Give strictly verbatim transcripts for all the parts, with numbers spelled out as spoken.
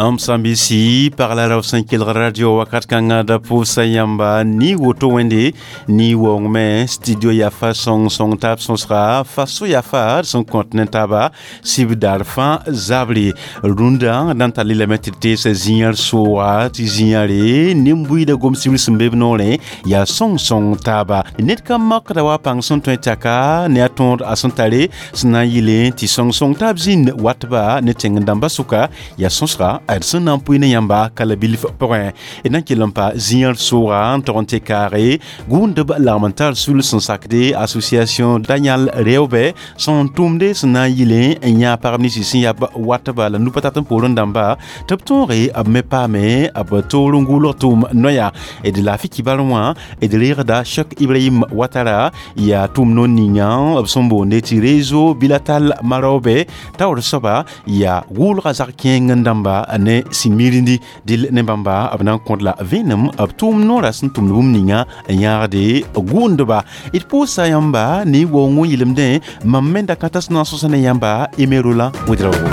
M sãn-biisi pagla rao sẽn kelg radio wakat kãngã da pʋʋsa yãmba ni woto wẽnde ni waoongmẽ studio yaa fa sõng-sõng taab sõsga fa so yaa fa d sẽn kõt ne taaba sib daar fãa zabre rũndã d na n tall lame tɩ d teesa zĩyãr sooga tɩ zĩyãre nin-buiidã gom-sibr sẽn be b noorẽ yaa sõng-sõng taaba ned ka makda wa pãng sẽn tõe tɛka ne a tõod a sẽn tare sẽn na n yɩlẽ tɩ sõng-sõng taab zĩnd watba ne tẽng dãmbã sʋka yaa sõsga d sẽn na n pʋɩ ne yãmba ka la bilf pʋgẽ d na n kell n pa zĩyãr sooga n tog n tɩ kaage gũudb lagm n tar sul sẽn sakde association Daniel Reobɛ sẽn tʋmde sẽn na n yɩlẽ n yã pagb ninsi sẽn yaa watba la nu pa tat n poorẽ dãmba tɩ b tõoge b me paame b toor n gʋʋlg tʋʋm noya d laafɩ kibar wã d reegda Cheikh Ibrahim Watara yaa tʋʋm noor ninga b sẽn boonde tɩ réseau bilatal Marobe taoor soaba yaa gʋʋlga zag kẽeng n dãmba ne sĩn-mirindi dɩl ne bãmba b na n kõt la vẽenem b tʋʋm noorã sẽn tʋmd bũmb ninga n yãagde gũudba d pʋʋsa yãmba ne waoong n yɩlemdẽ mam me da-kãtã sẽn na n sõsa ne yãmba Aimé Roland Ouédraogo.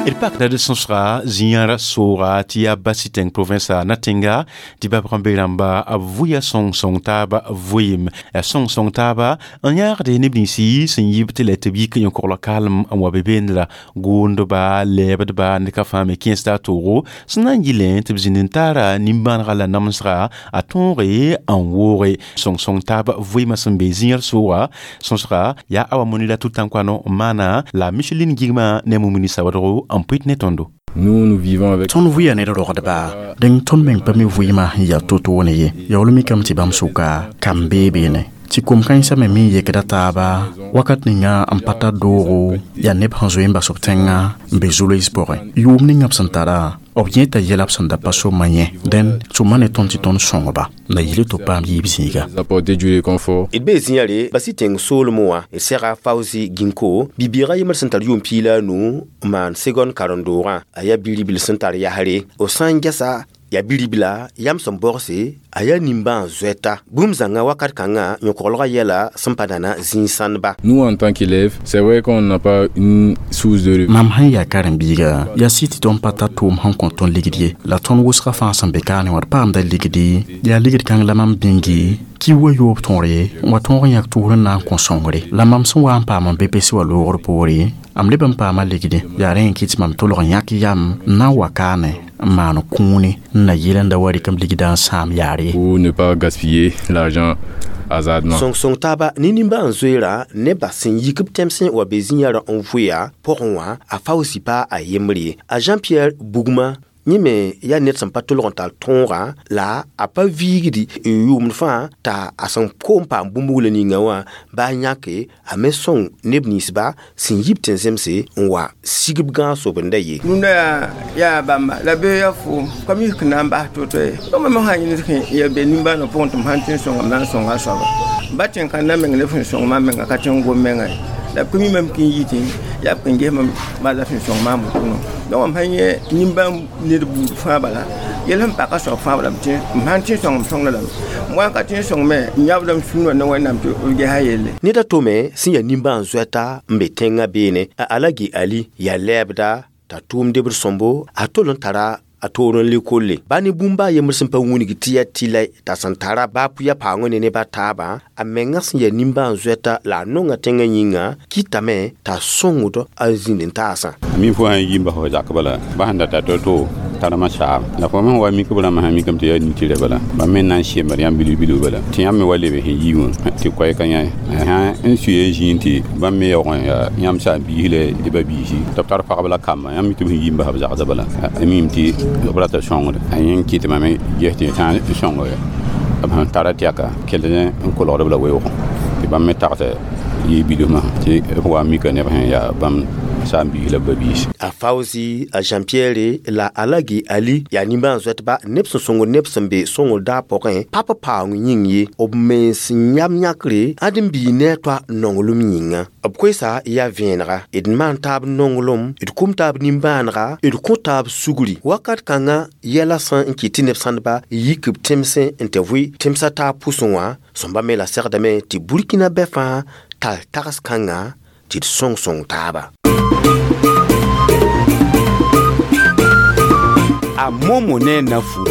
D pakda d sõsga zĩyãr sooga tɩ yaa Basitẽng provinsa Natenga tɩ bab rãmbe rãmba b vʋya sõng-sõng taaba vʋɩɩm yaa sõng-sõng taaba n yãagde neb ninsi sẽn yɩb tɩ la tɩ b yik yõ-koglg kaalem n wa be beendra gʋʋndba lɛɛbdba ned ka fãa me kẽesda a toogo sẽn na n yɩlẽ tɩ b zĩnd n taara nimbãanega la namsga a tõoge n wooge sõng-sõng taab vʋɩɩmã sẽn be zĩyãr sooga sõsga yaa Awa Monira Tutankwano n maana la Micheline Gigma ne Mumini Sawadgo n pʋɩt ne tõndo. Nous, nous vivons avec. Tõnd vʋɩa ned rogdba dẽng tõnd meng pa mi vʋɩɩmã sẽn yaa to-toone ye yaool mikame tɩ bãmb sʋka kam bee beene tɩ kom-kãensã me me yekda taaba wakat ninga n pa tar doogo yaa neb sẽn zoe n bas b tẽngã n be zolos pʋgẽ yʋʋm ninga b sẽn tara b yẽeta yɛla b sẽn da pa soma yẽ dẽn tʋma ne tõnd tɩ tõnd sõngba na yɩl tɩ b paam yiib zĩiga. Apporter du réconfort. D bee zĩyãre bas-y tẽng soolmẽ wã d sɛga Fauzi Ginko bi-bɩɩgã yembr sẽn tar yʋʋm piig la a nu n maan segon karen-doogã a yaa bi-ribl sẽn tar yasre b sã n gɛsa yaa bi-ribla yam sẽn bogse a yaa nimbãan zoɛta bũmb zãnga wakat kãngã yõ-koglgã yɛla sẽn pa nana zĩig-sãndba. Nous, en tant qu'élèves, c'est vrai qu'on n'a pas une source de Mam sẽn yaa karen-biiga yaa sɩ tɩ tõnd pa tar tʋʋm sẽn kõ tõnd ligd ye la tõnd wʋsgã fãa sẽn be kaane wã d paamda ligdi yaa ligd kãng la mam bĩngi ki wa yoob tõore n wa tõog n yãk tʋʋr n na n kõ sõngre la mam sẽn wa n paam n be-pes wa loogr poore am leb n paama ligdi yaa rẽ n kɩt mam tolg n yãk yam n na n wa kaane n maan kũune n na yɩl n da wa rɩk m ligdã n sãam yaar ye. Pour ne pas gaspiller l'argent hasardement. Sõng-sõng taaba ne nimbãan zoeerã nebã sẽn yik b tẽmsẽ wa be zĩ-yãrã n vʋɩa pʋgẽ wã a Fauzi pa a yembre ye a Jean-Pierre Bugma yẽ me yaa ned sẽn pa tolg n tar tõogã la a pa viigdi yʋʋmd fãa t'a a sẽn koom paam bũmb-buglã ninga wã baa yãke a me sõng neb ninsba sẽn yib tɩ n zemse n wa sigb gãag sobenda ye. Rũndã yaa yaa bãmba la bee yaa foom ka mi n na n bas to-to ye donc mam sã yẽnd sẽn ya be nimbãaneg pʋgẽ tɩ m sãn tɩ n sõnga m na n sõnga a soaba ba tẽn kãndã meng ne sẽn sõng maam menga ka tẽ n gom menga ye la b ka mi mam kɩ n yitẽ yaa b kẽn ges mam bala sẽn sõng maam wotono donc mam sã yẽ nimbãan ned buud fãa bala yɛl sẽn paka soab fãa bala m sãn tɩ n sõng m sõngda lame m wa n ka tɩ n sõng me n yãbdame sũurã ne Wẽnnaam tɩ b gesa yelle. Ned a to me sẽn yaa nimbãan zoɛta n be tẽngã beene a Alagi Ali yaa lɛɛbda t'a tʋʋmdbd sõmbo a tol n tara a toor n le kolle ba ne bũmba a yembr sẽn pa wĩneg tɩ yaa tɩ la t'a sẽn tara baa pʋya paoongã ne neb a taabã a menga sẽn yaa nimbãan zoɛta la a nonga tẽngã yĩnga kɩtame t'a sõngd a zĩnd n taasã. Mi fo sã n yi n bas fo zak bala ba sẽn data to-to tarama saam la fo me wa mik b rãmb sã mikame tɩ yaa nitɩra bala bãmb me na n semd yãmb bilg-bilg bala tɩ yãmb me wa leb sẽn yi wã tɩ koɛɛka yã sã n suya zĩig tɩ bãmb me yaoog n yaa yãmb saam-biis la d ba-biisi tɩ b tar pagb la kamba yãmb mi tɩ b sẽn yi n bas b zagsã bala a mim tɩ b rata sõngd a yẽ n kɩt mame ges tɩ sã n sõng b sẽn tara tɛka kell n kolgd b la weoogẽ tɩ bãmb me tagsa yɩ bilfmã tɩ b wa mika neb sẽn yaa bãmb saam-biis la ba-biis a Fawzi a Jean-Pierre la Alagi Ali yaa nimbãan-zoɛtba neb sẽn sõngd neb sẽn be sõngr daa pʋgẽ pa pa paoong yĩng ye b mens n yam yãkre ãd n bii ne a toa nonglem yĩnga b koesa yaa vẽenega d maan taab nonglem d kʋm taab nimbãanega d kõ taab sugri wakat kãngã yɛla sẽn n kɩt tɩ neb sãndba yik b tẽmsẽ n tɩ vʋɩ tẽmsã taab pʋsẽ wã sõmba me la segdame tɩ Burkina bɛ fãa tar tags kãngã tɩ d sõng sõng taaba. A Momo ne Nafu.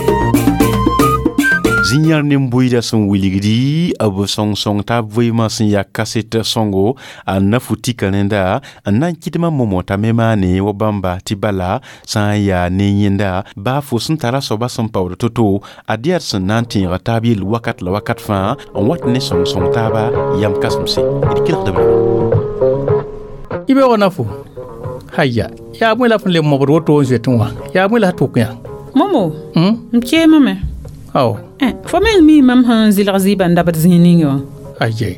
Zĩyãr ne buiida sẽn wilgdi b sõng-sõng taab vɩɩmã sẽn yaa kaset sõngo a nafu tika rẽnda n na n kɩdmã momo t'a me maane wa bãmba tɩ bala sã n yaa ne yẽnda baa fo sẽn tara soaba sẽn paood to-to ad yaa d sẽn na n tẽega taab yell wakat la wakat fãa n wat ne sõng-sõng taaba yam kãsemse d kelgdb rãmba y beoog nafu haya yaa bõe la f n le mobd woto n zoetẽ wã yaa bõe la s tʋk yã momo m keemame aw fo meng mi mam sẽn zɩlg zɩɩbã n dabd zĩig ninga wã aye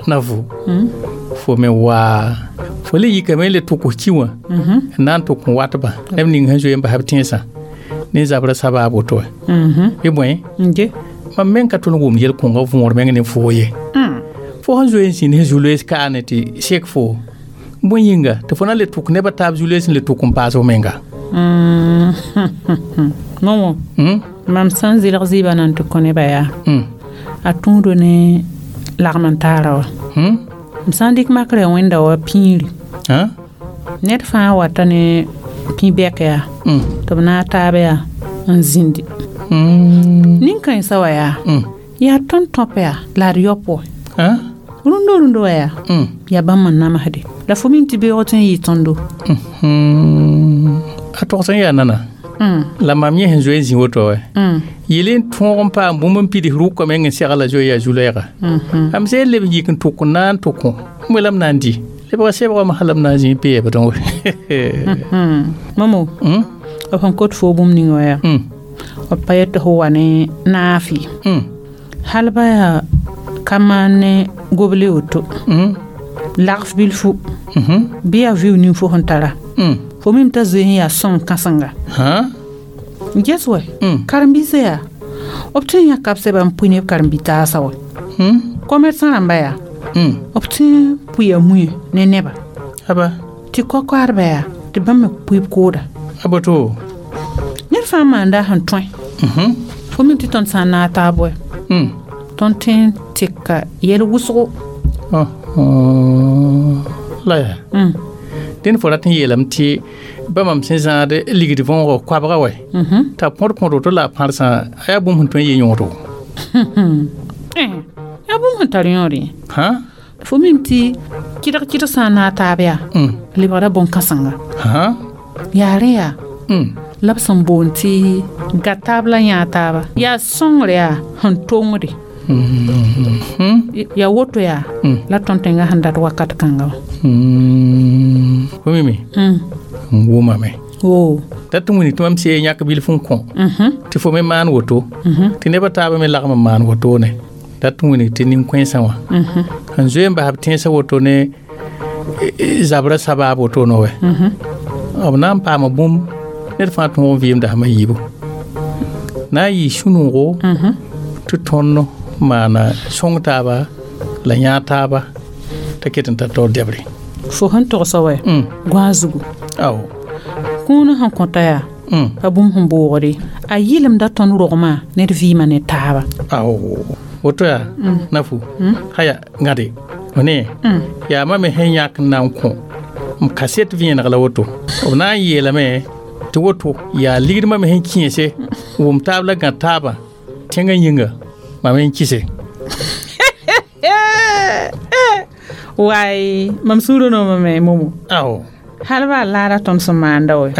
nafu fo me waa fo le yikame n le tʋk ki wã n na n tʋk n watba neb ning sẽn zoe n bas b tẽnsã ne zabrã sabaab woto wã bɩ bõe mam meng ka tõnd wʋm yel-kõngã võor meng ne foo ye fo sẽn zoe n zĩnd sẽn zu-loees kaane tɩ sek fo bõe yĩnga tɩ fo na n le tʋk nebã taab zu-loees n le tʋk n paas f menga momo mam sẽn zɩlg zɩɩbã na n tɩ kõ nebã yaa a tũudo ne lagm n taara wã m sã n dɩk makrã wẽnda wa pĩiri ned fãa wata ne pĩ-bɛk yaa tɩ b naag taab yaa n zĩndi nin-kãensã wã yaa yaa tõnd tõp yaa la d yaop wa rũndo rũndo wã yaa yaa bãmb n namsde la fo mim tɩ beoog tɩ n yɩ tõndo a togs n yaa nana la mam yẽ sẽn zoe n zĩ woto wɛ yel n tõog n paam bũmb n pids rʋka meng n segla zoe yaa zu-loɛɛga am sẽn leb n yik n tʋk n na n tʋk bõe la m na n dɩ lebga sebga wã la m na n zĩ n peebdẽ wɛ momo b sẽn kot fo bũmb ninga wã yaa b pa yet tɩ fo wa ne naafɩ hal ba yaa ka maan ne goble woto lagf bilfu bɩ yaa vɩʋ ning fo sẽn tara fo mim t'a zoe n yaa sõng kãsenga ges wɛ karen-biisã yaa b tõe n yãka b sɛba n pʋɩ ne b karen-bi-taasã wɛ commerçant rãmba yaa b tõe n pʋɩa mũe ne neba tɩ kokoadbã yaa tɩ bãmb me pʋɩ b kooda a boto ned fãa maanda sẽn tõe fo mim tɩ tõnd sã n naag taab wɛ tõnd tõe n tɩka yɛl wʋsgo la yaa dẽnd fo rat n yeelame tɩ bãmb sẽn zãad ligd võogo koabga wɛ t'a põd põd woto la a pãrsã a yaa bũmb sẽn tõe n yɩ yõodo yaa bũmb sẽn tar yõod ye fo mim tɩ kɩdg kɩdg sã n naag taab yaa lebgda bõn-kãsenga yaa rẽ yaa la b sẽn boond tɩ ga taab la yãag taaba yaa sõngr yaa sẽn tongde yaa woto yaa la tõnd tẽngã sẽn dat wakat kãnga wã fo mime n wʋmame woo dat tɩ wĩni tɩ mam see yãk bilf n kõ tɩ fo me maan woto tɩ nebã taabã me lagm n maan wotone dat tɩ wĩnig tɩ nin-kõensã wã sẽn zoe n bas b tẽnsã woto ne zabrã sabaab wotone wɛ b na n paama bũmb ned fãa tõog n vɩɩmda sãma yiibu na n yɩ sũ-noogo tɩ tõnd maana sõng taaba la yãag taaba t'a ket n tar taoor dɛbre fo sẽn togsa wɛ gõa zugu ao kũunã sẽn kõta yaa pa bũmb sẽn boogde a yɩlemda tõnd rogmã ned vɩɩmã ne taaba ao woto yaa nafu haya gãde f ne yaa ma me sẽn yãk n na n kõ m kaset vẽeneg la woto b na n yeelame tɩ woto yaa ligdmã me sẽn kẽese wʋm taab la gã taabã tẽngã yĩnga mam n kɩse waay mam sũurã noomame momo ao hal baa laada tõnd sẽn maanda wɛ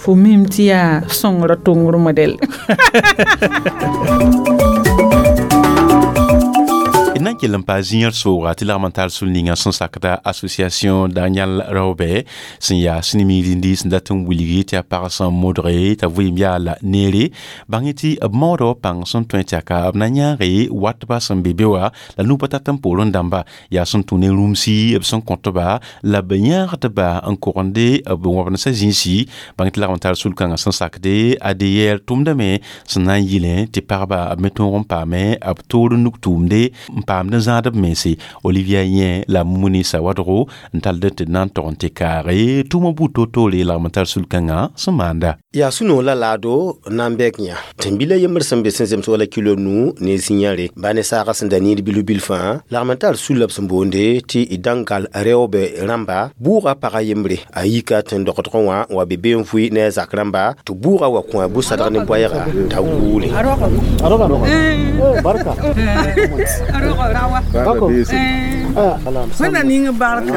fo mim tɩ yaa sõngrã tongr modɛl d na n kell n paa zĩyã sooga tɩ lagm n tar sul ninga sẽn sakda association Daniel Raobe sẽn yaa sẽn miirindi sẽn dat n wilgi tɩ a pag sẽn modge t'a vɩɩm yaa la neere bãng tɩ b maooda wa pãng sẽn tõe tɩ aka b na yãage watba sẽn be be wã la nu-pa tat n poorẽ dãmba yaa sẽn tũ ne rũmsi b sẽn kõtba la b yãagdba n kogende b wãbensã zĩisi bãng tɩ lagm n tar sul-kãngã sẽn sakde A D R tʋmdame sẽn na n yɩlẽ tɩ pagba b me tõog n paame b toor n nuk tʋʋmde n paamd n zãad b mense. Olivia Yẽ la Mumuni Sawadgo n tald tɩ d na n tog n tɩ kaage tʋʋmã buud toor-toore lagm n tar sul-kãngã sẽn maanda. Yaa sũ-noog la laado na n bɛk yã tẽn-bila yembr sẽn be sẽn zems wala kilo nu ne zĩ-yãre ba ne saagã sẽn da niid bilf bilfã lagm n tar sul la b sẽn boonde tɩ d dãngal reoobɛ rãmba bʋʋga pagã yembre a yika tẽn-dogdgẽ wã n wa be be n vʋɩ ne a zak rãmba tɩ bʋʋga wa kõ a bu-sadg ne boɛɛga t'a guule. Barka. Wẽnna ning barka.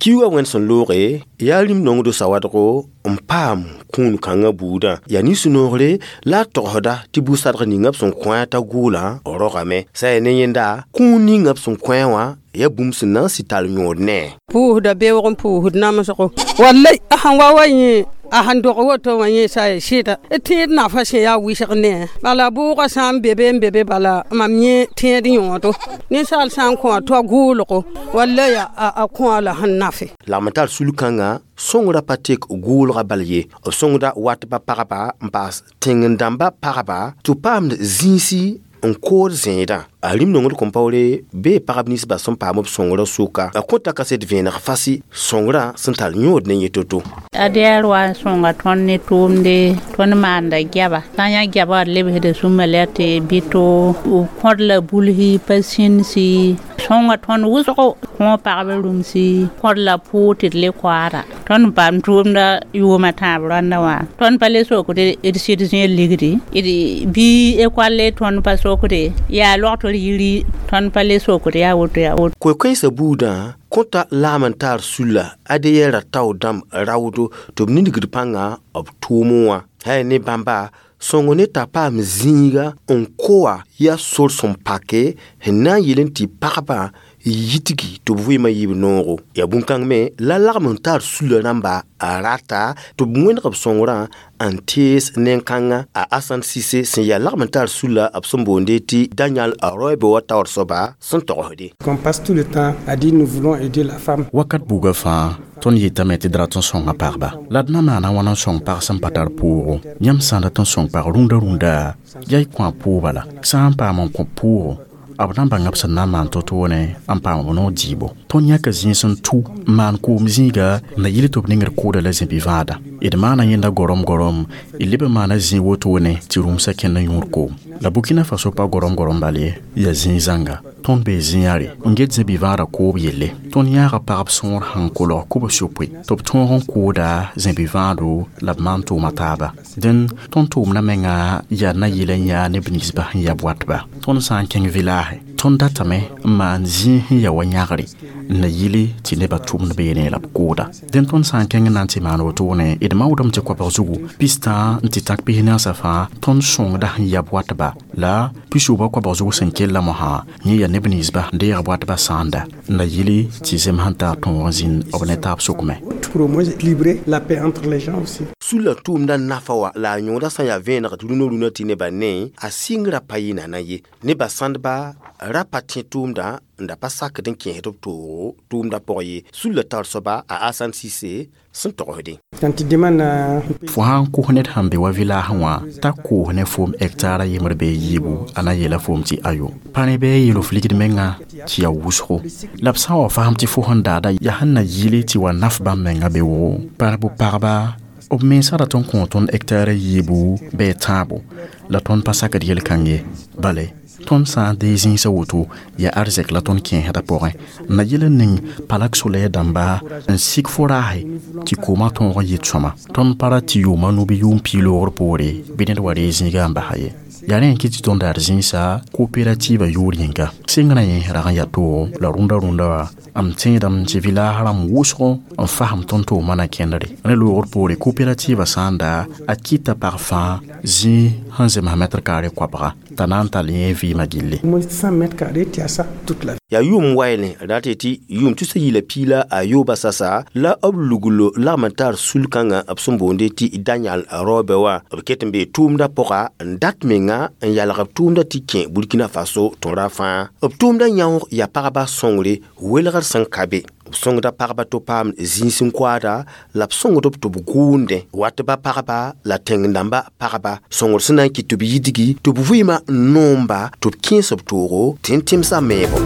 Kiuugã wẽnd sẽn looge yaa rĩm nongdo sawadgo n paam kũun kãngã buudã yaa nin-sũ-noogre la a togsda tɩ bu-sadg ninga b sẽn kõ t'a gʋʋlã rogame sã yaa ne yẽnda kũun ninga b sẽn kõ wã yaa bũmb sẽn na n sɩ tall yõod ne. Pʋʋsda beoog n pʋʋsd namsgo wallay a sẽn wa wa yẽ a sẽn dog woto wã yẽ sa ya sɩda tẽed nafa sẽn yaa wɩsg ne bala bʋʋgã sã n be be n be be bala mam yẽ tẽed yõodo ninsaal sã n kõ a to gʋʋlgo wallay a kõ la sẽn nafe. Lagm n tar sul-kãngã sõngrã pa tek gʋʋlgã bal ye b sõngda watba pagba n paas tẽng-dãmba pagba tɩ b paamd zĩisi n kood zẽedã a rĩm nongd kõn-paoore bee pagb ninsbã sẽn paam b sõngrã sʋka a kõta kaset vẽeneg fasɩ sõngrã sẽn tar yõod ne yẽ to-to. A D R wa n sõnga tõnd ne tʋʋmde tõnd maanda gɛba sã n yã gɛba d lebsda sũmã la tɩ bɩ to kõd la bulsi pa sĩnsi sõnga tõnd wʋsgo kõ pagb rũmsi kõd la pʋʋg tɩ d le koaada tõnd n paam tʋʋmda yʋʋmã tãab rãndã wã tõnd pa le sokd d sɩd zẽed ligdi d bɩ ekolle tõnd pa sokde yaa logtr yiri tõnd pa le sokd yaa woto yaa woto. Koe-koɛɛsã buudã kõta lagm n taar sulla A D R tao dãmb raoodo tɩ b ningd pãnga b tʋʋmẽ wã sã ne bãmba sõngo ne t'a paam zĩiga n koa yaa sor sẽn pake sẽn na n yeel n tɩ pagba yitgi tɩ b vɩɩmã yiib noogo yaa bũn-kãng me la lagm n taar sulla rãmba a rata tɩ b wẽneg b sõngrã n tees nen-kãngã a Asan Sise sẽn yaa lagm n taar sulla b sẽn boonde tɩ Daniel Roɛbɛ wa taoor soaba sẽn togsde. Qu'on passe tout le temps à dire nous voulons aider la femme. Wakat buugã fãa tõnd yetame tɩ d rat n sõnga pagba la d na maana wãna n sõng pag sẽn pa tar pʋʋgo yãmb sã n dat n sõng pag rũndã rũndã yaa y kõ a pʋʋba la sã n paam n kõ pʋʋgo b na n bãnga b sẽn na n maan to-toone n paam b noog dɩɩbo tõnd yãka zĩis n tu n maan koom zĩiga n na yɩl tɩ b nengd kooda la zĩ-bi-vãada d maana yẽnda gorom gorom d leb n maana zĩig wotone tɩ rũmsã kẽnd n yõod koom la Burkina Faso pa gorom gorom bal ye yaa zĩig zãnga tõnd bee zĩ-yãre n get zĩ-bi-vãadã koob yelle tõnd yãaga pagb sõor sẽn kolg kobs yopoe tɩ b tõog n kooda zĩ-bi-vãado la b maan tʋʋma taaba dẽn tõnd tʋʋmdã menga yaa na yɩl n yaa neb ninsba sẽn ya watba tõnd sã n kẽng village tõnd datame n maan zĩig sẽn ya wa yãgre n na yɩle tɩ nebã tʋmd beene la b kooda dẽn tõnd sã n kẽng n na n tɩ maan wotone d maoodame tɩ koabg zugu pistã n tɩ tãk pis naasã fãa tõnd sõngda sẽn yab watba la pisoobã koabg zug sẽn kella mosã yẽ yaa neb ninsba n deeg watba sãanda n na yɩle tɩ zem sẽn tar tõog n zĩnd b ne taab sʋkme. Pour au moins équilibrer la paix entre les gens aussi. Sulla tʋʋmdã nafa wa la a yõoda sã n yaa vẽeneg tɩ rũnã rũnã tɩ nebã ne a sɩngrã pa yɩ nana ye nebã sãndba ra pa tẽ tʋʋmdã n da pa sakd n kẽesd b toogo tʋʋmdã pʋg ye sulla tar soaba a Asan Sise sẽn togsde. Quand tu demandes à fo sã n kos ned sẽn be wa village wã t'a koos ne foom hectare a yembr bee yiibu a na yeela foom tɩ ayo pa ne bɩ a yeel f ligd menga tɩ yaa wʋsgo la b sã n wa fasem tɩ fo sẽn daada yaa sẽn na yɩle tɩ wa naf bãmb menga be wʋgo pa bʋ pagba b mensã rat n kõ tõnd hectare yiibu bɩ tãabo la tõnd pa sakd yel-kãng ye bale tõnd sã n dee zĩisã woto yaa arzɛk la tõnd kẽesdã pʋgẽ n na yel n ning palak soleer dãmba n sik fo raase tɩ koomã tõog n yɩ sõma tõnd pa ra tɩ yʋʋma nu bɩ yʋʋm piig loogr poore bɩ ned wa ree zĩiga n basa ye yaa rẽ n kɩ tɩ tõnd daar zĩisa coopérative yʋʋr yĩnga sɩngrã yẽ rag n yaa toogo la rũndã rũndã wã m tẽedame tɩ village rãmb wʋsgo n fasem tõnd tʋʋmã na kẽndre rẽ loogr poore coopérative sã n da a kɩta pag fãa zĩig sẽn zems mɛtr kaare koabga t'a na n tall yẽ vɩɩmã gilli. Moins cent mètres carrés, tu as ça toute la vie. Yaa yʋʋm waɩlẽ rat tɩ yʋʋm tusa yila piila a yooba sasa la b luglo lagm n tar sul-kãngã b sẽn boonde tɩ Daniel Raobɛ wã. B ket n bee tʋʋmdã pʋga n dat menga n yalg b tʋʋmdã tɩ kẽ Burkina Faso tõra fãa. B tʋʋmdã yãoog yaa pagba sõngre welgr sẽn ka be. B sõngda pagba tɩ paam zĩis n koaada la b sõngd b tɩ b gʋʋndẽ wat ba pagba la tẽng-dãmba pagba sõngr sẽn na n kɩt tɩ b yidgi tɩ b vɩɩmã n noomba tɩ b kẽes b toogo tɩ n tẽmsã meebo.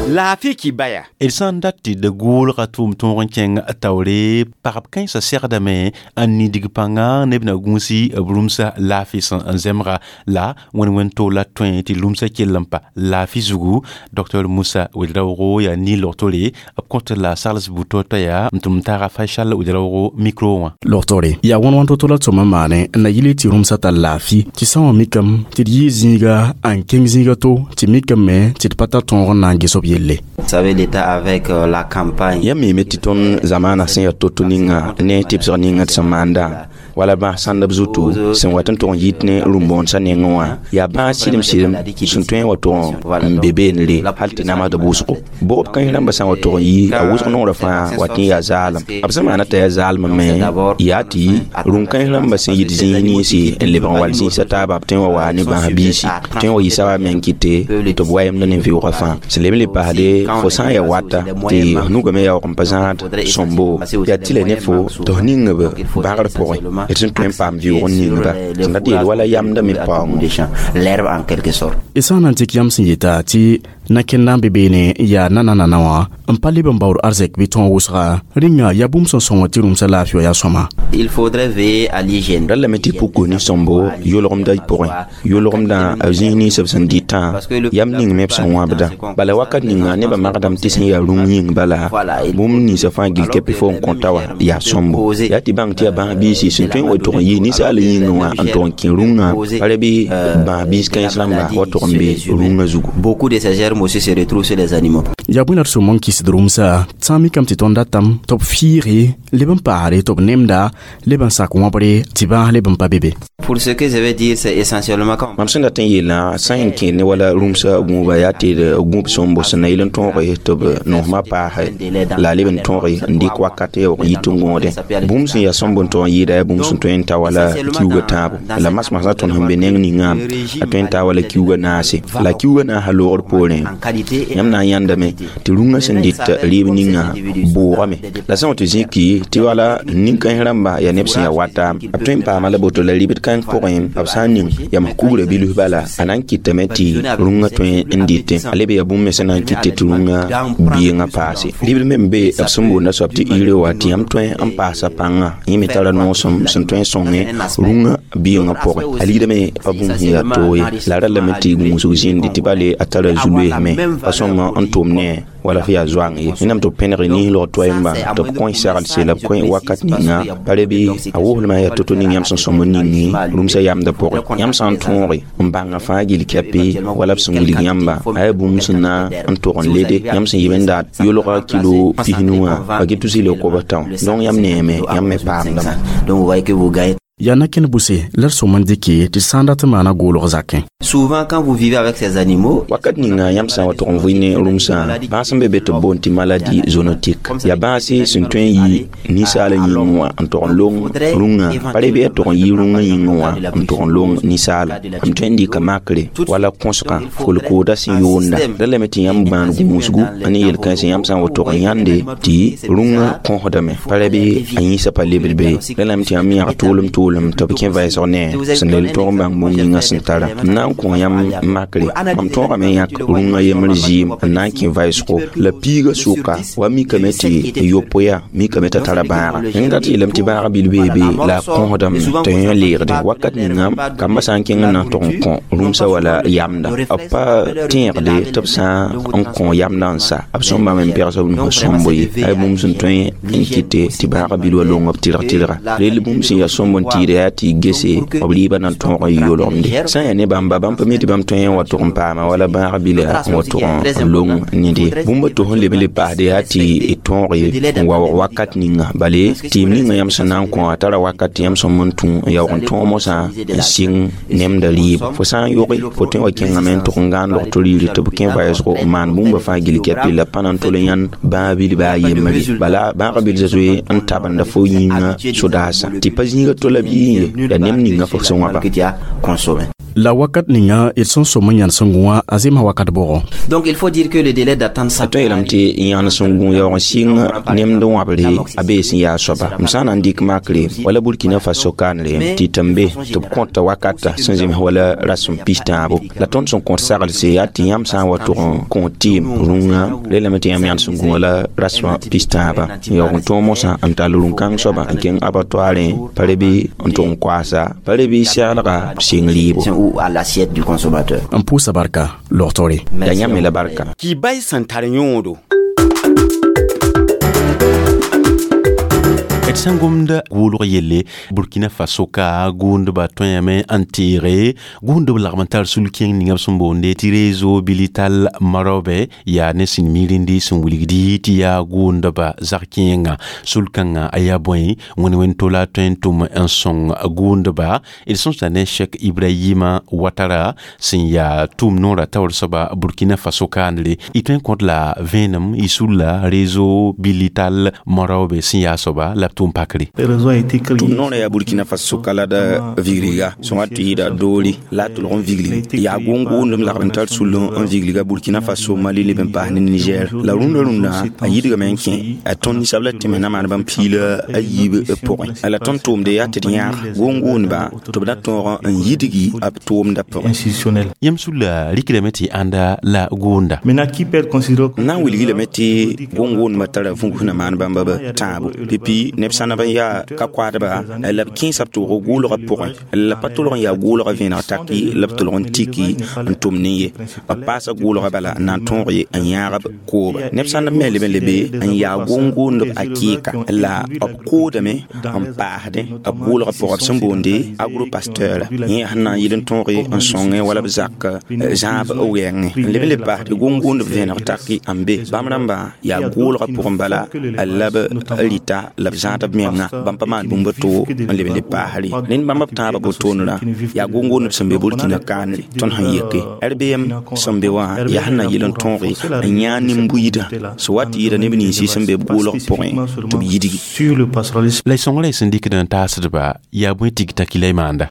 Laafɩ kibaya. D sã n dat tɩ d gʋʋlga tʋʋm tõog n kẽng taoore pagb kãensã segdame n nidg pãnga neb na gũusi b rũmsa laafɩ sẽn n zemga la wẽn-wẽn to la tõe tɩ rũmsã kell n pa laafɩ zugu. Docteur Musa Ouedraogo yaa nin-logtore b kõt la sagls buto t'a yaa n tʋm taaga Faisal Ouedraogo micro wã. Logtore yaa wãn-wãn to-to la tʋm n maane n na yɩl tɩ rũmsã tar laafɩ tɩ sã wã mikame tɩ d yɩ zĩiga n kẽng zĩiga to tɩ mikame tɩ d pa tar tõog n na n ges b yelle. Vous savez, l'État avec euh, la campagne. Yãmb miime tɩ tõnd zamaana sẽn yaa to-to ninga ne tɩbsg ninga tɩ sẽn maanda wala bãas sãndb zutu sẽn wat n tʋg n yit ne rũm-bõonesã nengẽ wã yaa bãas sɩdem sɩdem sẽn tõe n wa tʋg n be beenre hal tɩ namsd wʋsgo. Bʋgb kãens rãmbã sã n wa tʋg n yi a wʋsg nongrã fãa wat n yaa zaalem. B sẽn maana t'a yaa zaalem me yaa tɩ rũm-kãens rãmbã sẽn yit zĩis ninsi n lebg n wall zĩisã taaba b tõe n wa waa ne bãas biisi tõe n wa yɩ saba meng kɩte tɩ b wayemda ne vɩʋgã fãa. Sẽn leb n le paasde fo sã n yaa wata tɩ f nugame yaoog n pa zãad sõmbo yaa tɩ la ne fo tɩ f ning b bãgr pʋgẽ d sẽn tõe n paam vɩʋg n ningba sẽn dat yeel wala yamda me paoongo. L'herbe en quelque sorte. D sã n na n dɩk yãmb sẽn yeta tɩ na-kẽnd n be beene n yaa nanana wã n pa leb n baood arzɛk bɩ tõog wʋsga rĩnga yaa bũmb sẽn sõng tɩ rũmsã laafɩ wã yaa sõma. Il faudrait veiller à l'hygiène. Rallame tɩ puku ne sõmbo yʋlgemdã pʋgẽ yʋlgemdã b zĩis nins b sẽn dɩtã yam ning me b sẽn wãbda bala wakat ninga nebã magdame tɩ sẽn yaa rũm yĩng bala bũmb ninsã fãa gil kɛpɩ fo n kõta wã yaa sõmbo yaa tɩ bãng tɩ yaa bãas biisi sẽn tõe n wa tʋg n yɩ ninsaal yĩngẽ wã n tʋg n kẽ rũngã pa ra bɩ bãas biis kãens rãmba wa tʋg n be rũngã zugu. Beaucoup de ces germes aussi se retrouvent sur les animaux. Yaa bõe la d sʋm n kɩsd rũmsã sã n mikame tɩ tõnd datame tɩ b fiige leb n paasre tɩ b nemda leb n sak wãbre tɩ bãas leb n pa be be. Pour ce que je vais dire, c'est essentiellement quand mam sẽn dat n yeelã sã n kẽ ne wala rũmsã gũuba yaa tɩ d gũub sõmbo sẽn na yɩl n tõoge tɩ b nosmã paase la a leb n tõoge n dɩk wakat yaoog n yit n gõodẽ bũmb sẽn yaa sõmb n tog n yɩɩda yaa bũmb sẽn tõe n ta wala kiuugã tãabo la masmasã tõnd sẽn be neng ningã a tõe n taa wala kiuugã naase la kiuugã naasã loogr poorẽ yãmb na n yãndame tɩ rũngã sẽn dɩt rɩɩb ninga bʋʋgame la sã n wa tɩ zĩki tɩ wala nin-kãens rãmba yaa neb sẽn yaa wata b tõe n paama la boto la rɩbd kãng pʋgẽ b sã n ning yam kugrã bilf bala a na n kɩtame tɩ rũngã tõe n dɩtẽ a leb yaa bũmb me sẽn na n kɩte tɩ rũngã biengã paase. Rɩbd me n be b sẽn boonda soab tɩ ire wa tɩ yãmb tõe n paasa pãngã yẽ me tara noosem sẽn tõe n sõngẽ rũngã biengã pʋgẽ a ligdame pa bũmb sẽn yaa toog ye la rallame tɩ gũusg zĩndi tɩ bale a tara zu-loeesme pa sõma n tʋm ne wala f yaa zoang ye wẽnnaam tɩ b pẽneg niis log toɛɛmbã tɩ b kõ sagl la b kõ wakat ninga pa re bɩ a woslmã yaa to-to ning yãmb sẽn sõm n ningi rũmsã yamdã pʋgẽ yãmb sã n tõoge n bãnga fãa gill kɛpɩ wala b sẽn wilg yãmba a yaa bũmb sẽn na n tʋg n lede yãmb sẽn yib n dat yʋlga kilo pisnu wã a get tus yel kobs tão donc yãmb neeme yãmb me paamdame. Donc vous voyez que vous gagnez. Yaa na-kẽnd bʋse la d sõm n dɩke tɩ sã n dat n maana goolg zakẽ. Souvent quand vous vivez avec ces animaux, wakat ninga yãmb sã n wa tʋg n vɩ ne rũmsã bãas sẽn be be tɩ b boond tɩ maladie zoonotique yaa bãase sẽn tõe n yɩ ninsaal yĩngẽ wã n tʋg n long rũngã pa re bɩ yaa tʋg n yɩ rũngã yĩngẽ wã n tʋg n long ninsaala m tõe n dɩka makre wala kõsgã kolkooda sẽn yoonda ra lame tɩ yãmb gbãan gũusgu a ne yel-kãensẽ yãmb sã n wa tʋg n yãnde tɩ rũngã kõsdame pa ra bɩ a yĩnsã pa lebd be ra lame tɩ yãmb yãg tʋʋlem tʋʋlem tɩ b kẽ vɛɛsg ne sẽn lel tõog n bãng bũmb ninga sẽn tara m na n kõ yãmb makre mam tõogame yãk rũngã yembr zɩɩm n na n kẽ vɛɛsgo la piigã sʋka wa mikame tɩ yopoe mikame t'a tara bãaga yẽng dat yeelame tɩ bãaga bil bee be la a kõsdame tɩ yẽ leegde wakat ninga kambã sã n kẽng n na n tʋg n kõ rũmsã wala yamda b pa tẽegde tɩ b sã n kõ yamdã n sa b sõm bãmb n pɛgs b nusã sõmbo ye a bũmb sẽn tõe n kɩte tɩ bãaga bil wa long b tɩrg tɩrga rel bũmb sẽn yaa sõmb n tɩ pʋtɩɩdã yaa tɩ y gese b rɩɩbã na n tõog n yolgemde sã n yaa ne bãmba bãmb pa mi tɩ bãmb tõe n wa tʋg n paama wala bãag bila n wa tʋg n long nede bũmb to sẽn leb n le paasde yaa tɩ y tõoge n waoog wakat ninga bale tɩɩm ninga yãmb sẽn na n kõ a tara wakat tɩ yãmb sẽn n tũ n yaoog n tõog mosã n sɩng nemda rɩɩb fo sã n yoge fo tõe wa kẽngame n tʋg n gãan log to riiri tɩ b kẽ voyage n maan bũmba fãa gill kɛpɩ la pa na n tol n yãnd bãag bilba a yembre bala bãagã bil zoe n tabenda fo yĩnga sodaasã tɩ pa zĩiga tola bɩ yẽ la nem ninga fo sẽn wãba La wakat ninga d sẽn som n yãnd sẽn gũ wã a zemsa wakat bʋgɔ. Donc il faut dire que le délai d'attente a tõe yeelame tɩ yãnd sẽn gũ yaoog n sɩng nemd wãbre a bee sẽn yaa soaba m sã n na n dɩk makre wala Burkina Faso kaanre tɩ tɩ n be tɩ b kõta wakata sẽn zems wala rasem pis-tãabo la tõnd sẽn kõt saglse yaa tɩ yãmb sã n wa tʋg n kõ tɩɩm rũngã lelame tɩ yãmb yãnd sẽn gũ wala rasmã pis-tãaba n yaoog n tõog mosã n tall rũn-kãng soaba n kẽng abattoirẽ pa re bɩ n tʋg n koaasa pa re bɩ seglga sɩng rɩɩbo ou à l'assiette du consommateur. N pʋʋsa barka logtore. Ya yãmb me la barka. Kibay sẽn tar yõodo. D sẽn gomd gʋʋlg yelle Burkina Faso ka gʋʋndbã tõeame n teege gʋʋndb lagm n tar sul-kẽng ninga b sẽn boonde tɩ réseau bilital marobe yaa ne sẽn mirindi sẽn wilgdi tɩ yaa gʋʋndbã zag-kẽengã sul-kãngã a yaa bõe wẽn wẽn tola tõe n tʋm n sõng gʋʋndba d sõsda ne Cheikh Ibrahima Ouattara sẽn yaa tʋʋm noorã taoor soaba Burkina Faso kaandre y tõe n kõt la vẽenem y sulla réseau bilital marobe sẽn yaa soaba la b tʋʋm pakre. Tʋm noorã yaa Burkina Faso ka la da vigriga sẽn wa tɩ yɩɩda doori la a tʋlg n vigli yaa gʋʋn-gʋʋndem lagd n tar sull n vigliga Burkina Faso Mali leb n paas ne Niger la rũndã rũndã a yidgame n kẽ a tõnd ninsab la tɩ me na maan bãmb piila a yiib pʋgẽ la tõnd tʋʋmde yaa tɩ d yãag gʋʋn-gʋʋndba tɩ b na tõog n yidgi b tʋʋmdã pʋgẽ. Yãmb sulla rikdame tɩ ãnda la gʋʋnda. N na n wilgi lame tɩ gʋʋn-gʋʋndbã tara vũgs na maan bãmba b tãabo pipi neb sãn n yaa ka koadba la b kẽesa b tʋʋg gʋʋlgã pʋgẽ la pa tʋlg n yaa gʋʋlgã vẽeneg taki la b tʋlg n tiki n tʋm ne ye b paasa gʋʋlgã bala n na n tõog ye n yãag b kooba neb sãn me leb n lebe n yaa gʋʋn-gʋʋndb a kɩɩka la b koodame n paasdẽ b gʋʋlgã pʋgã b sẽn boonde agropasteur yẽ sẽn na n yɩl n tõoge n sõngẽ wala b zak zãab wɛɛngẽ n leb n le paasde gʋʋn-gʋʋndb vẽeneg taki n be bãmb rãmbã yaa gʋʋlgã pʋgẽ bala la b rɩta la b zãad b menga bãmb pa maan bũmb to n leb n le paasre ned bãmb b tãabã botoonrã yaa gʋʋn-gʋʋndb sẽn be Burkina kaanre tõnd sẽn yeke R B M sẽn be wã yaa sẽn na yɩl n tõoge n yãag nin-buiidã sẽn wa tɩ yɩɩda neb ninsi sẽn be b gʋʋlg pʋgẽ tɩ b yidgi. La y sõngrã y sẽn dɩkd n taasdba yaa bõe tigta ki la y maanda.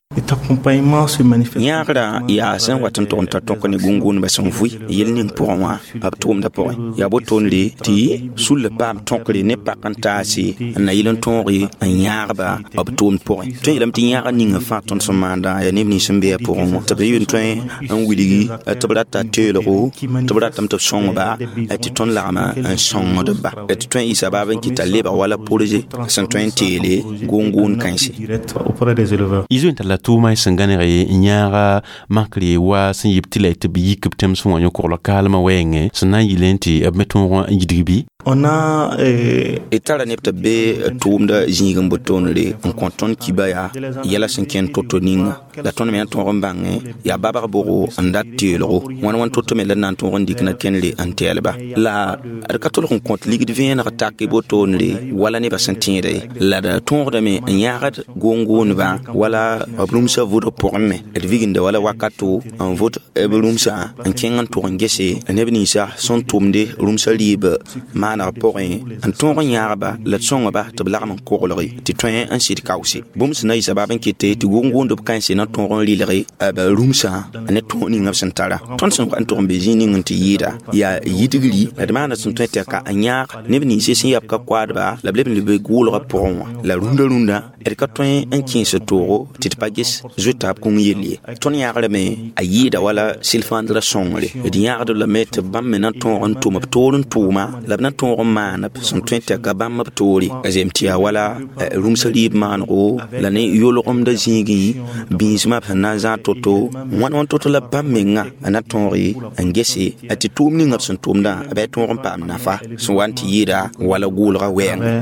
Yãagrã yaa sẽn wat n tʋg n ta tõk ne gʋʋn-gʋʋndbã sẽn vʋɩ yel ning pʋgẽ wã b tʋʋmdã pʋgẽ yaa botoonre tɩ sulla paam tõkre ne pak n taase n na yɩl n tõoge n yãagba b tʋʋmd pʋgẽ tõe yeelame tɩ yãaga ninga fãa tõnd sẽn maandã yaa neb nins sẽn be a pʋgẽ wã tɩ b yɩl tõe n wilgi tɩ b rata teelgo tɩ b ratame tɩ b sõngba tɩ tõnd lagma n sõngdba tɩ tõe n yɩsa baab n kɩta lebg wala projet sẽn tõe n teele gʋʋn-gʋʋn kãense. Y zoe n tar la tʋʋma y sẽn gãneg n yãaga makre wa sẽn yɩb tɩ la y tɩ b yik b tẽms wã yõ-koglg kaalmã wɛɛngẽ sẽn na n yɩlẽ tɩ b me tõog n yidg bɩ. D tara neb tɩ b be tʋʋmda zĩig n botoonre n kõ tõnd kiba yaa yɛla sẽn kẽnd to-to ninga la tõnd me na tõog n bãngẽ yaa babg bʋgo n dat teelgo wãn wãn to-to me la d na n tõog n dɩk na kẽndre n tɛɛlba la d ka tolg n kõt ligd vẽeneg tak botoonre wala nebã sẽn tẽeda ye la d tõogdame n yãagd gʋʋn-gʋʋndbã wala b rũmsã vʋdg pʋgẽ me d viginda wala wakato n vʋd b rũmsã n kẽng n tʋg n gese neb ninsã sẽn tʋmde rũmsã rɩɩb maaneg pʋgẽ n tõog n yãagba la d sõngba tɩ b lagm n koglge tɩ tõe n sɩd kaoose bũmb sẽn na yɩ sabaab n kete tɩ gʋʋn-gʋʋndb kãense na tõog n rɩlge b rũmsã ne tõog ninga b sẽn tara tõnd sẽn wa n tʋg n be zĩig ning n tɩ yɩɩda yaa yidgri la d maana sẽn tõe tɩ ka n yãag neb ninse sẽn yab ka koadba la b leb n lebe gʋʋlgã pʋgẽ wã la rũndã rũndã d ka tõe n kẽes toogo tɩ d pa ges zoeta b kũng yell ye tõnd yãagrame a yɩɩda wala sɩl-fãandrã sõngre d yãagd lame tɩ bãmb me na tõog n tʋm b toor n tʋʋma la b na tõog n maan b sẽn tõe tɩ ka bãmb b toore a zeem tɩ yaa wala rũmsã rɩɩb maanego la ne yolgemdã zĩigẽ bĩismã b sẽn na n zãag to-to wãn wãn to-to la bãmb menga a na tõoge n gese tɩ tʋʋm ninga b sẽn tʋmdã b yaa tõog n paam nafa sẽn wa n tɩ yɩɩda wala gʋʋlgã wɛɛngẽ.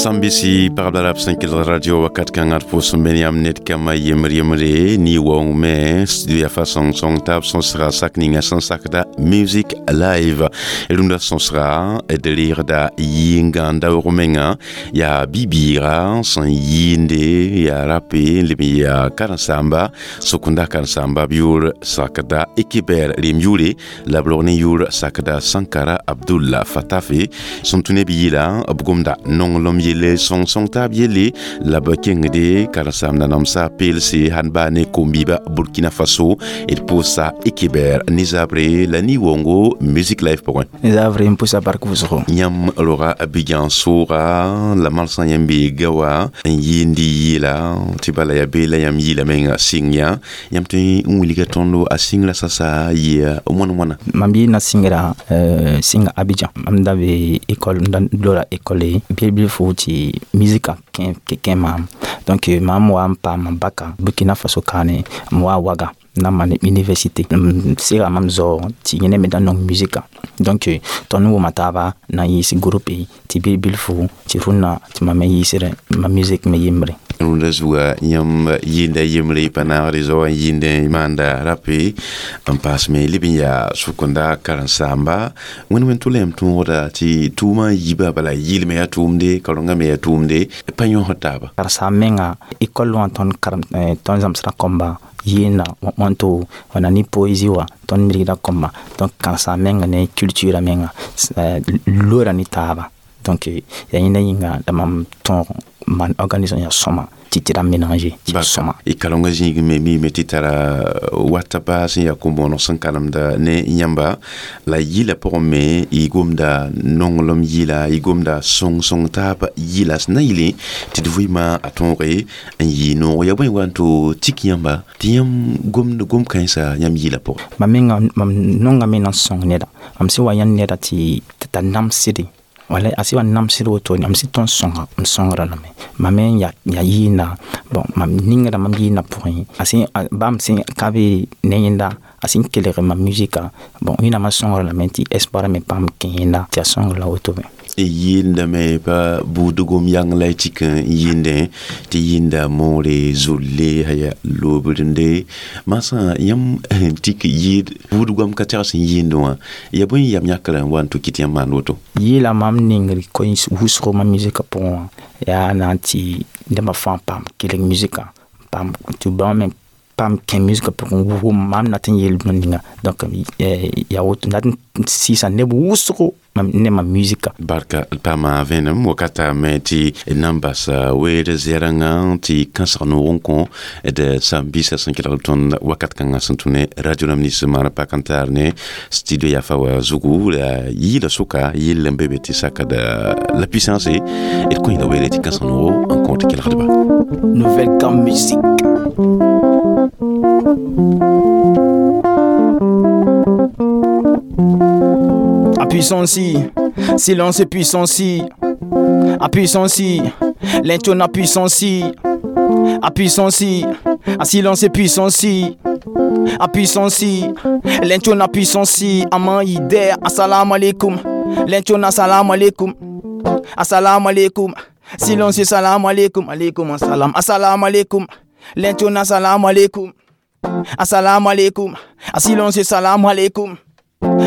Sambisi pagb la rab sẽn kelg radio wakat kãngã d pʋʋs n be ne yãmb ned kãmbã yembr yembre ne waoong me studio yaa fa sõng-sõng taab sõsga sak ninga sẽn sakda Music Live rũndã sõsga d reegda yɩngã n daoog menga yaa bi-bɩɩga sẽn yɩɩnde yaa rape n leb n yaa karen-saamba sokenda karen-saamba b yʋʋr sakda Ekeber rem yʋʋre la b rog ne yʋʋr sakda Sankara Abdullah Fatafe sẽn tũ ne b yɩla b gomda nonglem yelle sõng-sõng taab yelle la b kengde karen-saamda namsa peelse sãn baa ne kom-biiba Burkina Faso d pʋʋsa Ekeber ne zabre la ni-waoongo Music Live pʋgẽ. Zabre n pʋsa bark wʋsgo. Yãmb roga Abidjan sooga la marsã yãmb bee gawa n yɩɩnd yɩɩla tɩ bala yaa bee la yãmb yɩɩla menga sɩng yã yãmb tõe n wilga tõndo a sɩngrã sasa yɩa wãn wãna? Mam yɩɩna sɩngra sɩnga Abidjan. Mam da be école, m da lora école bil-bilfu tɩ musika kẽ maam. Donc mam wa n paam baka Burkina Faso kaane, m wa Waga na maan université, m sega mam zao tɩ yẽne me da nong musika. Donc tõnd wʋma taaba na n yɩɩs groupe tɩ bil-bilfu tɩ rũnnã tɩ mam me yɩɩsdẽ ma musique me yembre. Rũndã zuga yãmb yɩɩnda yembre pa naagre zaoã n yɩɩndẽ maanda rape n paas me leb n yaa sʋkenda karen-saamba wẽnd wẽnd tʋ la yãmb tõogda tɩ tʋʋmã yiba bala yɩlme yaa tʋʋmde karengã me yaa tʋʋmde pa yõsd taaba? Karen-saam menga école wã tõnd karem tõnd zãmsda kõmba yɩɩnda wãnto wãna ne poésie wã tõnd mirgda kõmba. Donc karen-saam menga ne culture menga lora ne taaba. Donc yaa yẽnda yĩnga la mam tõog maan organisation yaa sõma tɩ tɩ ra mélanger tɩ sõma. Y kalengã zĩig me miime tɩ tara wata baa sẽn yaa kom-bõoneg sẽn kalemda ne yãmba la yɩla pʋgẽ me y gomda nonglem yɩla y gomda sõng-sõng taab yɩla sẽn na yɩle tɩ d vɩɩmã a tõoge n yɩ noog yaa bõe wa n to tik yãmba tɩ yãmb gomd gom-kãensã yãmb yɩla pʋgẽ? Mam menga mam nongame na n sõng neda. Mam sẽn wa yãnd neda tɩ t'a namsde wala a sɩ wa namsd woto mam sɩ tõnd sõnga m sõngra lame. Mam me ya ya yɩɩnda bon mam ningrã mam yɩɩnda pʋgẽ a sẽn bãmb sẽn ka be ne yẽnda a sẽn kelg mam musika bon wẽnnaamã sõngra lame tɩ espoir me paam kẽ yẽnda tɩ a sõngra la woto me. Yɩɩndame pa buudgom yang la y tik n yɩɩndẽ tɩ yɩɩnda moore zolle haya lobrende masã yãmb tik yɩɩd buudgam ka tɛgs n yɩɩndẽ wã ya bõe yam yãkrã n wa n tʋ kɩt yãmb maan woto? Yɩɩla mam nengr koe wʋsgo mam musika pʋgẽ wã yaa na n tɩ nebã fãa paam kelg musika paam tɩ bãmb me paam kẽ musika pʋgẽ wʋm mam dat n yeel bũmb ninga. Donc yaa woto dat n sɩɩsa neb wʋsgo ne ma musika. Barka paama vẽenem wakata me tɩ nan bas weer zɛrɛngã tɩ kãsg noog n kõ d sãn-biisã sẽn kelg tõnd wakat kãngã sẽn tũ ne radio rãmb nins maan pak n taar ne studio yafa wa zugu la yɩɩla sʋka yell n be be tɩ sakda la puissance d kõ yẽla weere tɩ kãsg noogo n kõ tɩ kelgdba. Nouvelle gamme musique. À puissance, silence et puissance. À puissance, l'intone à puissance. À puissance, à silence et puissance. À puissance, l'intone à puissance. Aman idée, assalamu alaikum. L'intone assalamu alaikum. Assalamu alaikum. Silence, salam alaikum. Alaikum assalam. Assalamu alaikum. L'intone assalamu alaikum. Assalamu alaikum. À silence, salam alaikum.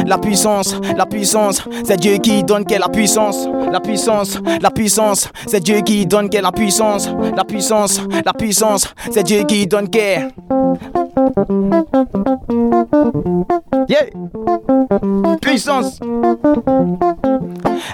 La puissance, la puissance, c'est Dieu qui donne quelle la puissance. La puissance, la puissance, c'est Dieu qui donne quelle la puissance. La puissance, la puissance, c'est Dieu qui donne quelle. Yeah. Puissance.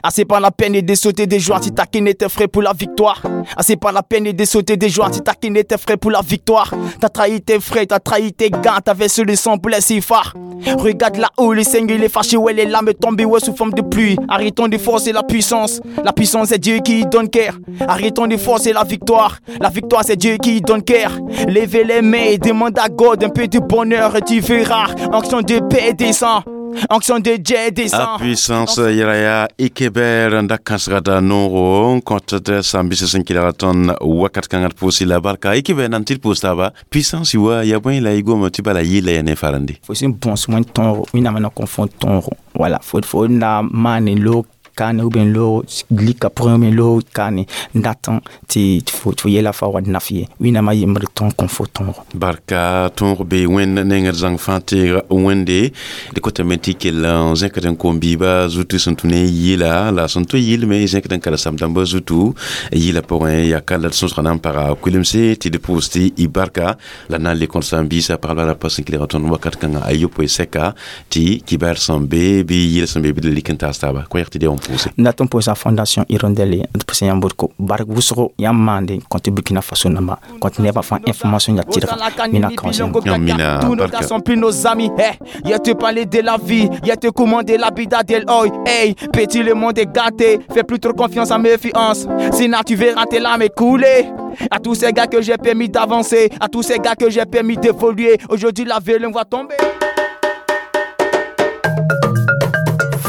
Ah, c'est pas la peine de sauter des joies si ta était frais pour la victoire. Ah, c'est pas la peine de sauter des joies si ta était frais pour la victoire. T'as trahi tes frères, t'as trahi tes gars, t'as versé le sang pour les cifres. Regarde là-haut, le Seigneur il est fâché, ouais, les larmes tombent, ouais, sous forme de pluie. Arrêtons de forcer la puissance. La puissance, c'est Dieu qui donne cœur. Arrêtons de forcer la victoire. La victoire, c'est Dieu qui donne cœur. Levez les mains et demande à God un peu de bonheur et tu verras. Onction de paix descend. Onction de Dieu descend. A puissance yɛra Ekeber n da kãsgda noogo n kõt d sãn-bisã sẽn kelg tõnd wakat kãngã d pʋʋs la barka Ekeber nan tɩ d pʋʋs taaba puissance wa yaa bõe la y goma tɩ bala yɩɩla ya ne farande. Fo sẽn bõs wẽn tõogo wẽnnaam na kõ fo tõogo wala fo fo na maane loog kaane ou bien loog lika pʋgẽ ou bien loog kaane n dat tɩ fo fo yɛla fa wa naf ye. Wẽnnaamã yembre tõog kõ fo tõogo. Barka, tõog be wẽnd nengd zãng fãa teeg wẽnde d kotame tɩ kell n zẽkd n kom-biibã zutu sẽn tũ ne yɩla la sẽn to yɩlme zẽkd n karsam dãmbã zutu yɩla pʋgẽ yaa ka la d sõsga na n paga kulemse tɩ d pʋʋs tɩ y barka la na n le kõt sãn-biisã pagba ra pa sẽn kelg tõnd wakat kãngã a yopoe sɛka tɩ kibaar sẽn be bɩ yɩl sẽn be bɩ d lik n taas taaba koɛɛg tɩ d yaa n pʋʋse. N dat n pʋʋsa Fondation Hirondelle d pʋsẽ yãmb ko bark wʋsgo yãmb maande kõ tɩ Burkina Faso namba kõ tɩ nebã fãa information ya tɩrga mina kaoosẽ. Mina. Tous nos gars sont plus nos amis. Hey, y'a te parler de la vie, y'a te commander la bida del oi. Hey, petit, le monde est gâté, fais plus trop confiance à méfiance. Sinon, tu verras tes larmes couler. À tous ces gars que j'ai permis d'avancer, à tous ces gars que j'ai permis d'évoluer, aujourd'hui la vélum va tomber.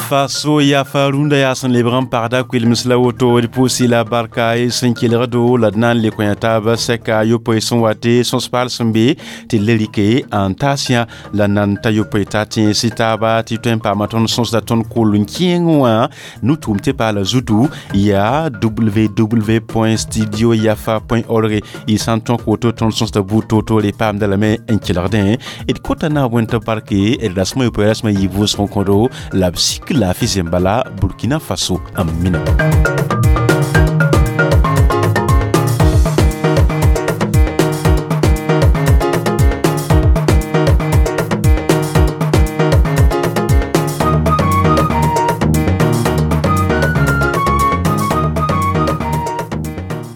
Faso yafa rũndã yaa sẽn lebg n pagda kuilms la woto d pʋʋs la barka y sẽn kelgdo la d na n le kõ taaba sɛka yopoe sẽn wa tɩ sõs-paal sẽn be tɩ le rɩke n taas yã la nan ta yopoe t'a tẽes taaba tɩ tõe n paama tõnd sõsda tõnd kol n kẽeng wã nu-tʋʋm tɩ paala zutu yaa w w w studio yafa org y sã n tõk woto tõnd sõsda buud toor-toore paamda lame n kelgdẽ d kota na n wẽnd tɩ barke d rasmã yopoe rasmã yɩ vʋʋsg n kõdo la b sik la fi Zembala, Burkina Faso, Amina.